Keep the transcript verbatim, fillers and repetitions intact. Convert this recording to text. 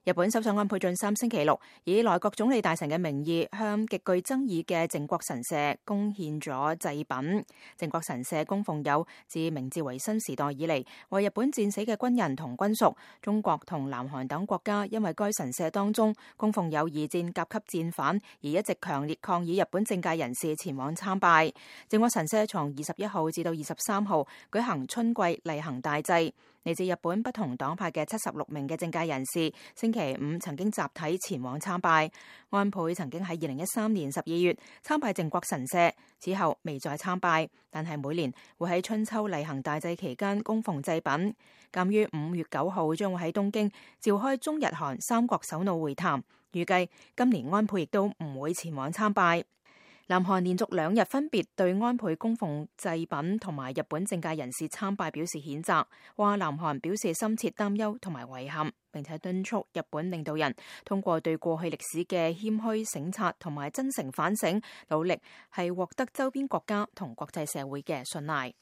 日本首相安倍晉三星期六以內閣總理大臣嘅名義向極具爭議嘅靖國神社供獻咗祭品。靖國神社供奉有自明治維新時代以嚟為日本戰死嘅軍人同軍屬。中國同南韓等國家因為該神社當中供奉有二戰甲級戰犯，而一直強烈抗議日本政界人士前往參拜。靖國神社從二十一號至到二十三號舉行春季例行大祭。嚟自日本不同黨派嘅七十六名嘅政界人士，星期五曾經集體前往參拜。安倍曾經喺二零一三年十二月參拜靖國神社，此後未再參拜，但係每年會喺春秋例行大祭期間供奉祭品。鑑於五月九號將會喺東京召開中日韓三國首腦會談，預計今年安倍亦都唔會前往參拜。南韓連續兩日分別對安倍供奉祭品同埋日本政界人士參拜表示譴責，話南韓表示深切擔憂同埋遺憾，並且敦促日本領導人通過對過去歷史嘅謙虛省察同埋真誠反省，努力係獲得周邊國家同國際社會嘅信賴。